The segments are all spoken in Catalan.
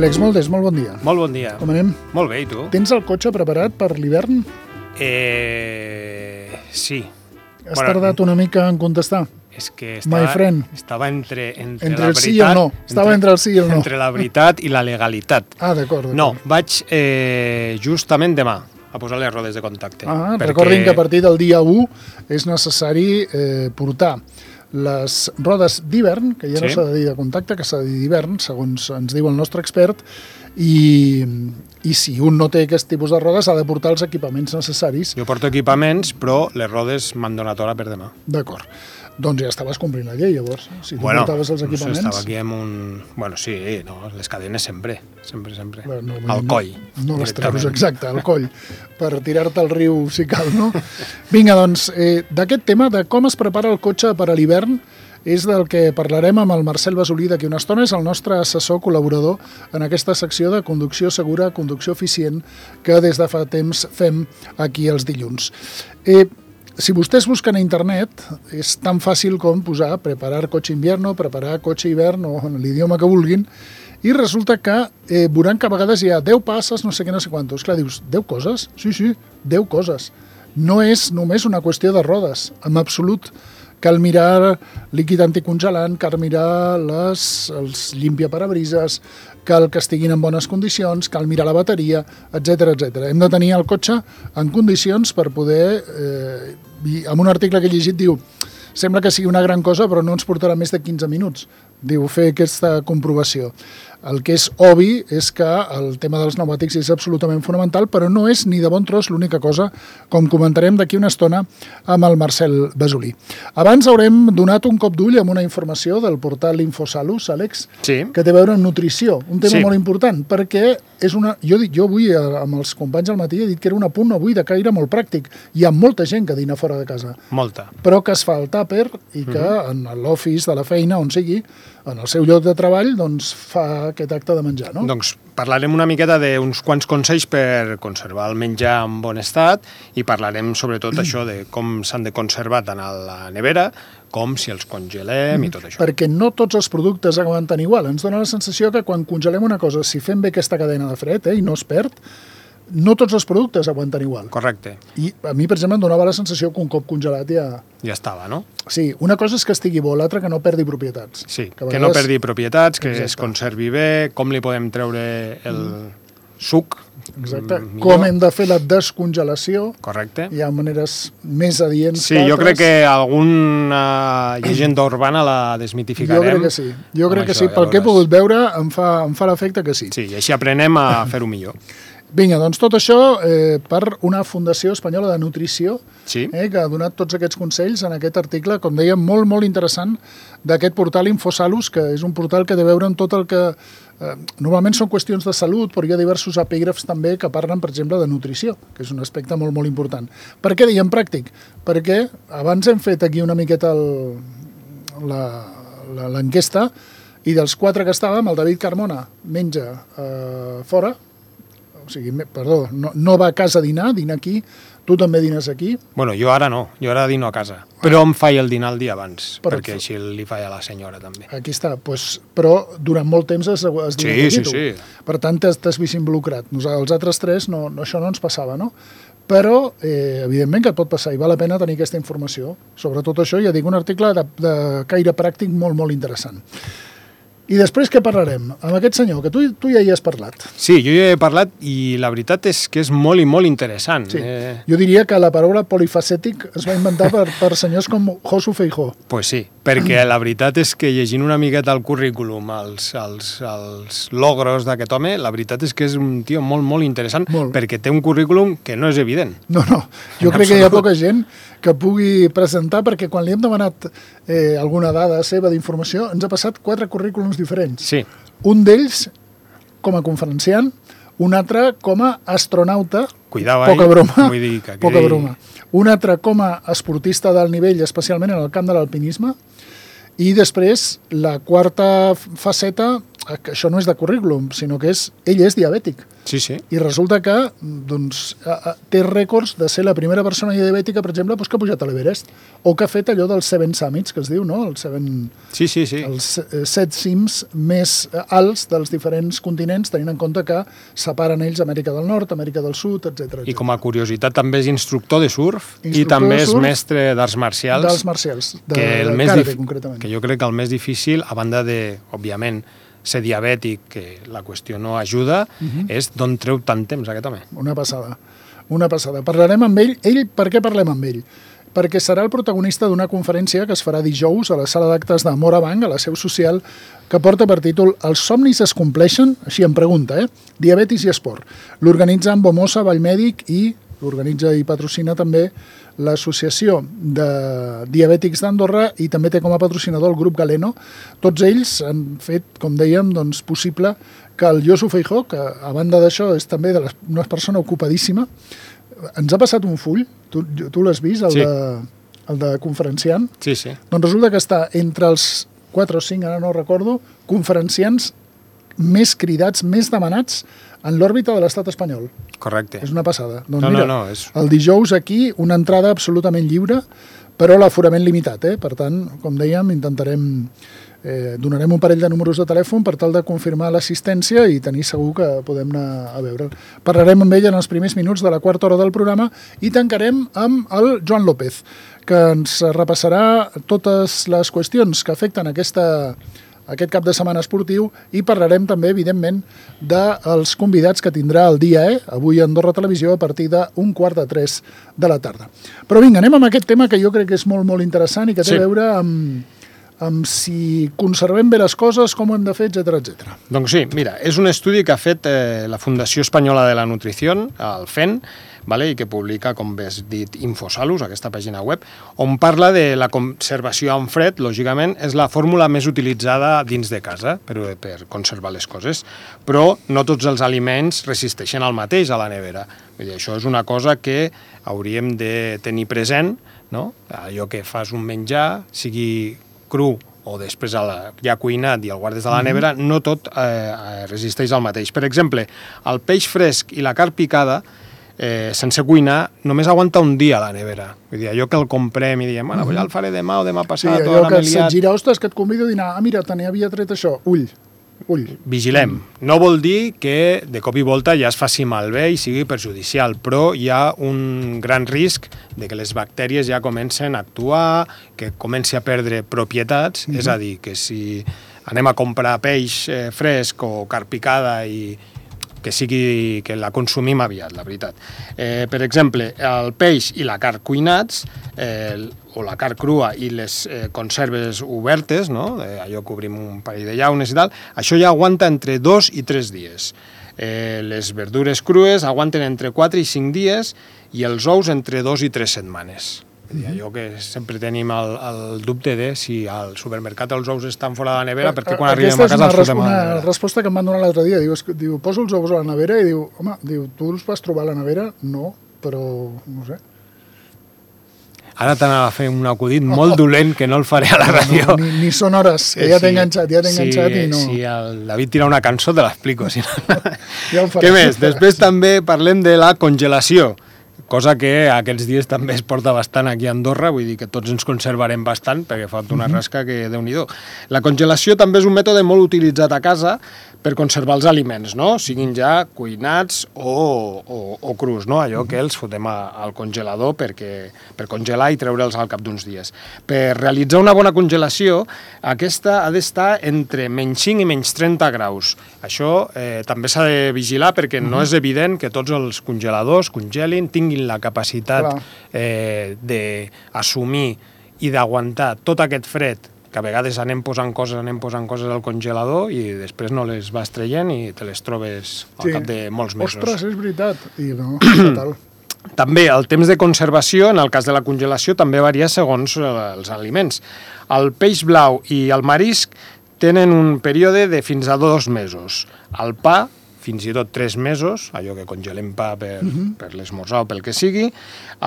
Àlex Moldes, molt bon dia. Molt bon dia. Com anem? Molt bé, i tu? Tens el cotxe preparat per l'hivern? Sí. Has tardat una mica en contestar? És que estava entre el la veritat... sí i el no. Estava entre el sí i el no. Entre la veritat i la legalitat. Ah, d'acord. No, vaig justament demà a posar les rodes de contacte. Recordin que a partir del dia 1 és necessari portar les rodes d'hivern, que ja no s'ha de dir de contacte, que s'ha de dir d'hivern, segons ens diu el nostre expert, i si un no té aquest tipus de rodes ha de portar els equipaments necessaris. Jo porto equipaments, però les rodes m'han donat hora per demà. D'acord. Doncs ja estaves complint la llei, llavors. Si tu portaves els equipaments... Estava aquí amb un... Bueno, sí, no, les cadenes sempre. Bueno, al coll. No les treus, exacte, al coll, per tirar-te al riu si cal, no? Vinga, doncs, d'aquest tema, de com es prepara el cotxe per a l'hivern, és del que parlarem amb el Marcel Basolí d'aquí una estona. És el nostre assessor col·laborador en aquesta secció de conducció segura, conducció eficient, que des de fa temps fem aquí els dilluns. Si vostès busquen a internet, és tan fàcil com posar preparar cotxe invierno, preparar cotxe hivern o en l'idioma que vulguin, i resulta que veuran que a vegades hi ha 10 passes, no sé què, no sé quantos. Clar, dius, 10 coses? Sí, 10 coses. No és només una qüestió de rodes, en absolut. Cal mirar líquid anticongelant, cal mirar els limpiaparabrises, cal que estiguin en bones condicions, cal mirar la bateria, etc etc. Hem de tenir el cotxe en condicions per poder... En un article que he llegit diu sembla que sigui una gran cosa, però no ens portarà més de 15 minuts. Diu, fer aquesta comprovació. El que és obvi és que el tema dels pneumàtics és absolutament fonamental, però no és ni de bon tros l'única cosa, com comentarem d'aquí una estona amb el Marcel Basolí. Abans haurem donat un cop d'ull amb una informació del portal Infosalus, Àlex, que té a veure amb nutrició, un tema molt important, perquè és una... Jo avui, amb els companys al matí, he dit que era un apunt avui de caire molt pràctic. Hi ha molta gent que dina fora de casa. Molta. Però que es fa el tàper i que en l'office de la feina, on sigui, en el seu lloc de treball, doncs fa aquest acte de menjar, no? Doncs parlarem una miqueta d'uns quants consells per conservar el menjar en bon estat i parlarem sobretot això de com s'han de conservar tant a la nevera com si els congelem i tot això. Perquè no tots els productes aguanten igual. Ens dona la sensació que quan congelem una cosa, si fem bé aquesta cadena de fred i no es perd, no tots els productes aguanten igual. Correcte. I a mi, per exemple, em donava la sensació que un cop congelat ja... Ja estava, no? Sí, una cosa és que estigui bo, l'altra que no perdi propietats. Sí, que no perdi propietats, que es conservi bé, com li podem treure el suc. Exacte. Com hem de fer la descongelació. Correcte. Hi ha maneres més adients que altres. Sí, jo crec que alguna llegenda urbana la desmitificarem. Jo crec que sí. Jo crec que sí. Pel que he pogut veure, em fa l'efecte que sí. Sí, i així aprenem a fer-ho millor. Vinga, doncs tot això per una Fundació Espanyola de Nutrició que ha donat tots aquests consells en aquest article, com dèiem, molt, molt interessant d'aquest portal Infosalus, que és un portal que té a veure amb tot el que... Normalment són qüestions de salut, però hi ha diversos epígrafs també que parlen, per exemple, de nutrició, que és un aspecte molt, molt important. Per què diem pràctic? Perquè abans hem fet aquí una miqueta l'enquesta i dels 4 que estàvem, el David Carmona menja fora, o sigui, perdó, no va a casa a dinar, dina aquí, tu també dines aquí. Bueno, jo ara no, jo ara dino a casa, però em faig el dinar el dia abans, perquè així li faig a la senyora també. Aquí està, però durant molt temps has dinat aquí tu. Sí. Per tant, t'has vist involucrat. Els altres 3, això no ens passava, no? Però, evidentment que et pot passar i val la pena tenir aquesta informació. Sobretot això, ja dic, un article de caire pràctic molt, molt interessant. I després què parlarem? Amb aquest senyor, que tu ja hi has parlat. Sí, jo ja he parlat i la veritat és que és molt i molt interessant. Sí. Jo diria que la paraula polifacètic es va inventar per senyors com Josu Feijó. Pues sí, perquè la veritat és que llegint una miqueta el currículum, els logros d'aquest home, la veritat és que és un tio molt, molt interessant, perquè té un currículum que no és evident. No, jo crec que hi ha poca gent que pugui presentar, perquè quan li hem demanat alguna dada seva d'informació, ens ha passat 4 currículums diferents. Sí. Un d'ells com a conferenciant, un altre com a astronauta, poca broma, un altre com a esportista d'alt nivell, especialment en el camp de l'alpinisme, i després la quarta faceta això no és de currículum, sinó que ell és diabètic. Sí, sí. I resulta que té rècords de ser la primera persona diabètica, per exemple, que ha pujat a l'Everest, o que ha fet allò dels 7 Summits, que es diu, no? Els 7 cims més alts dels diferents continents, tenint en compte que separen ells Amèrica del Nord, Amèrica del Sud, etc. I com a curiositat també és instructor de surf i també és mestre d'arts marcials. D'arts marcials, de karate, concretament. Que jo crec que el més difícil, a banda de, òbviament, ser diabètic, que la qüestió no ajuda, és d'on treu tant temps aquest home. Una passada. Parlarem amb ell. Per què parlem amb ell? Perquè serà el protagonista d'una conferència que es farà dijous a la sala d'actes de Morabanc, a la seu social, que porta per títol Els somnis es compleixen? Així em pregunta, Diabetis i esport. L'organitza en Bomosa, Vallmèdic, i l'organitza i patrocina també l'Associació de Diabètics d'Andorra, i també té com a patrocinador el grup Galeno. Tots ells han fet, com dèiem, possible que el Josu Feijó, que a banda d'això és també una persona ocupadíssima, ens ha passat un full, tu l'has vist, el de conferenciant? Sí, sí. Doncs resulta que està entre els 4 o 5, ara no recordo, conferenciants més cridats, més demanats en l'òrbita de l'estat espanyol. Correcte. És una passada. Doncs és... El dijous aquí, una entrada absolutament lliure, però l'aforament limitat. Per tant, com dèiem, donarem un parell de números de telèfon per tal de confirmar l'assistència i tenir segur que podem anar a veure. Parlarem amb ell en els primers minuts de la quarta hora del programa i tancarem amb el Joan López, que ens repassarà totes les qüestions que afecten aquest cap de setmana esportiu, i parlarem també, evidentment, dels convidats que tindrà el dia avui a Andorra Televisió a partir d'2:45 de la tarda. Però vinga, anem amb aquest tema que jo crec que és molt, molt interessant i que té a veure amb si conservem bé les coses, com ho hem de fer, etc. Doncs sí, mira, és un estudi que ha fet la Fundació Espanyola de la Nutrició, el FEN, i que publica, com bé has dit, Infosalus, aquesta pàgina web, on parla de la conservació en fred. Lògicament, és la fórmula més utilitzada dins de casa per conservar les coses, però no tots els aliments resisteixen al mateix a la nevera. Vull dir, això és una cosa que hauríem de tenir present, no? Allò que fas un menjar, sigui cru o després ja cuinat i el guardes a la nevera, no tot resisteix al mateix. Per exemple, el peix fresc i la carn picada, sense cuinar, només aguanta un dia a la nevera. Vull dir, allò que el comprem i diem, bueno, ja el faré demà o demà passat. Sí, allò que se't gira, ostres, que et convido a dinar. Ah, mira, te n'havia tret això. Ull. Vigilem. No vol dir que de cop i volta ja es faci malbé i sigui perjudicial, però hi ha un gran risc de que les bactèries ja comencen a actuar, que comenci a perdre propietats, és a dir, que si anem a comprar peix fresc o carn picada i que la consumim aviat, la veritat. Per exemple, el peix i la carn cuinats, o la carn crua i les conserves obertes, no? Allò que obrim un parell de llaunes i tal, això ja aguanta entre 2 i 3 dies. Les verdures crues aguanten entre 4 i 5 dies i els ous entre 2 i 3 setmanes. Allò que sempre tenim el dubte de si al supermercat els ous estan fora de la nevera, perquè quan arribem a casa els fotem a la nevera. Aquesta és una resposta que em van donar l'altre dia. Diu, poso els ous a la nevera i diu, home, tu els vas trobar a la nevera? No, però no sé. Ara t'anava a fer un acudit molt dolent que no el faré a la ràdio. Ni són hores, que ja t'he enganxat i no... Si el David tira una cançó te l'explico. Què més? Després també parlem de la congelació, cosa que aquests dies també es porta bastant aquí a Andorra, vull dir que tots ens conservarem bastant perquè fa una rasca que Déu-n'hi-do. La congelació també és un mètode molt utilitzat a casa per conservar els aliments, no? Siguin ja cuinats o crus, no? Allò que els fotem al congelador per congelar i treure'ls al cap d'uns dies. Per realitzar una bona congelació, aquesta ha d'estar entre menys 5 i menys 30 graus. Això també s'ha de vigilar perquè no és evident que tots els congeladors congelin, tinguin la capacitat d'assumir i d'aguantar tot aquest fred, que a vegades anem posant coses al congelador i després no les vas traient i te les trobes al cap de molts mesos. Ostres, és veritat. I no, fatal. També el temps de conservació, en el cas de la congelació, també varia segons els aliments. El peix blau i el marisc tenen un període de fins a 2 mesos. El pa, fins i tot 3 mesos, allò que congelem pa per l'esmorzar o pel que sigui,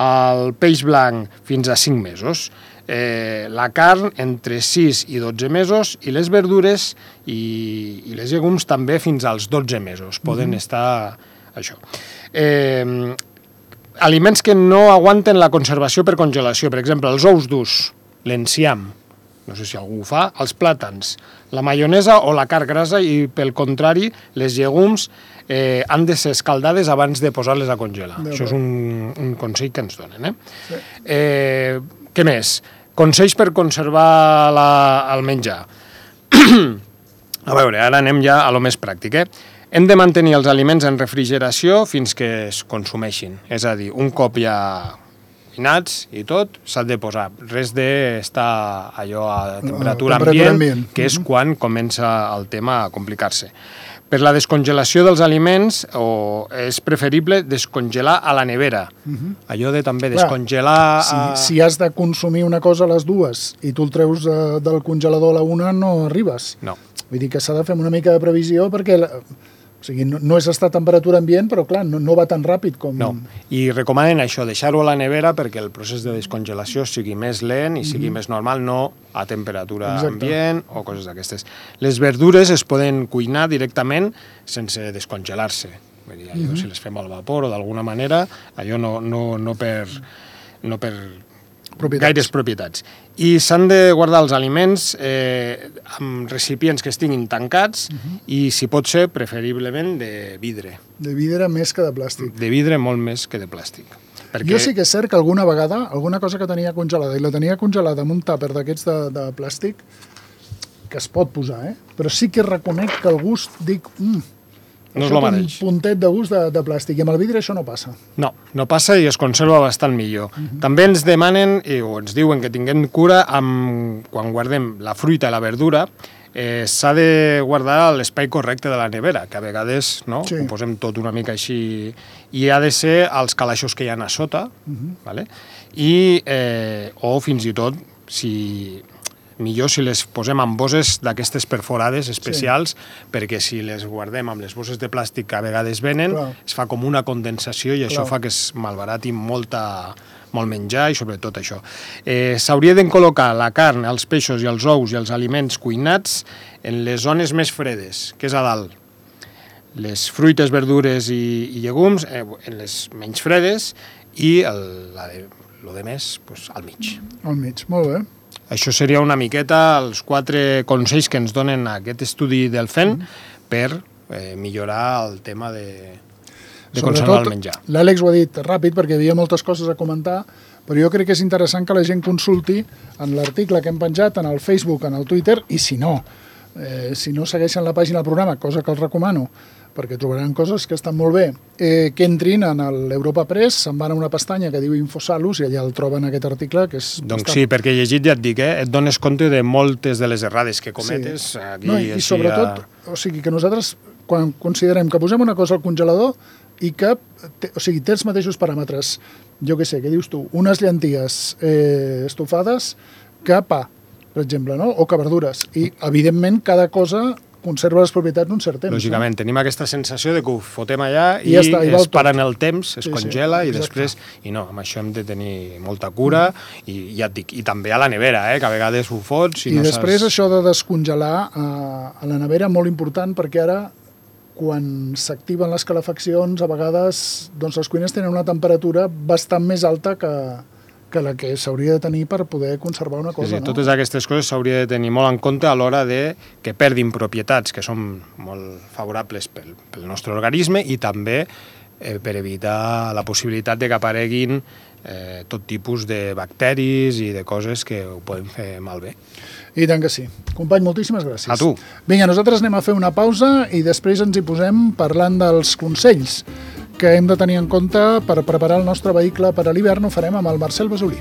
el peix blanc fins a 5 mesos, la carn entre 6 i 12 mesos i les verdures i les llegums també fins als 12 mesos, poden estar això. Aliments que no aguanten la conservació per congelació, per exemple, els ous durs, l'enciam, no sé si algú ho fa, els plàtans, la maionesa o la carn grassa i, pel contrari, les llegums han de ser escaldades abans de posar-les a congelar. Això és un consell que ens donen. Sí. Què més? Consells per conservar el menjar. A veure, ara anem ja a lo més pràctic, Hem de mantenir els aliments en refrigeració fins que es consumeixin. És a dir, un cop ja cuinats i tot, s'ha de posar. Res d'estar allò a temperatura ambient, que és quan comença el tema a complicar-se. Per la descongelació dels aliments és preferible descongelar a la nevera. Allò de també descongelar... Si has de consumir una cosa a les 2 i tu el treus del congelador a la 1, no arribes. No. Vull dir que s'ha de fer una mica de previsió perquè... O sigui, no és estar a temperatura ambient, però clar, no va tan ràpid com... No, i recomanen això, deixar-ho a la nevera perquè el procés de descongelació sigui més lent i sigui més normal, no a temperatura ambient o coses d'aquestes. Les verdures es poden cuinar directament sense descongelar-se. Vull dir, allò, si les fem al vapor o d'alguna manera, allò no per gaires propietats. I s'han de guardar els aliments amb recipients que estiguin tancats i, si pot ser, preferiblement de vidre. De vidre més que de plàstic. De vidre molt més que de plàstic. Jo sí que és cert que alguna vegada, alguna cosa que tenia congelada, i la tenia congelada amb un tàper d'aquests de plàstic, que es pot posar, però sí que reconec que el gust, dic... No és el mateix. Un puntet de gust de plàstic, i amb el vidre això no passa. No passa i es conserva bastant millor. També ens demanen, o ens diuen que tinguem cura quan guardem la fruita i la verdura, s'ha de guardar a l'espai correcte de la nevera, que a vegades ho posem tot una mica així, i ha de ser als calaixos que hi ha a sota, o fins i tot, millor si les posem en bosses d'aquestes perforades especials, perquè si les guardem amb les bosses de plàstic que a vegades venen, es fa com una condensació i això fa que es malbarati molt menjar i sobretot això. S'hauria de col·locar la carn, els peixos i els ous i els aliments cuinats en les zones més fredes, que és a dalt. Les fruites, verdures i llegums en les menys fredes i el de més al mig. Al mig, molt bé. Això seria una miqueta els 4 consells que ens donen aquest estudi del FEN per millorar el tema de conservar el menjar. L'Àlex ho ha dit ràpid perquè hi havia moltes coses a comentar, però jo crec que és interessant que la gent consulti en l'article que hem penjat, en el Facebook, en el Twitter, i si no segueixen la pàgina del programa, cosa que els recomano, perquè trobaran coses que estan molt bé, que entrin en l'Europa Press, se'n van a una pestanya que diu Infosalus i allà el troben aquest article, que és... Doncs sí, perquè llegit ja et dic, et dones compte de moltes de les errades que cometes. I sobretot, o sigui, que nosaltres, quan considerem que posem una cosa al congelador i que, té els mateixos paràmetres, jo què sé, què dius tu, unes llenties estofades que pa, per exemple, o que verdures. I, evidentment, cada cosa conserva les propietats un cert temps. Lògicament, tenim aquesta sensació de que ho fotem allà i es para en el temps, es congela i després... I no, amb això hem de tenir molta cura i ja et dic, i també a la nevera, que a vegades ho fots i no saps... I després això de descongelar a la nevera, molt important, perquè ara, quan s'activen les calefaccions, a vegades les cuines tenen una temperatura bastant més alta que la que s'hauria de tenir per poder conservar una cosa. Totes aquestes coses s'hauria de tenir molt en compte a l'hora de que perdin propietats que són molt favorables pel nostre organisme i també per evitar la possibilitat de que apareguin tot tipus de bacteris i de coses que ho poden fer malbé. I tant que sí. Company, moltíssimes gràcies. A tu. Vinga, nosaltres anem a fer una pausa i després ens hi posem parlant dels consells que hem de tenir en compte per preparar el nostre vehicle per a l'hivern. Ho farem amb el Marcel Basolí.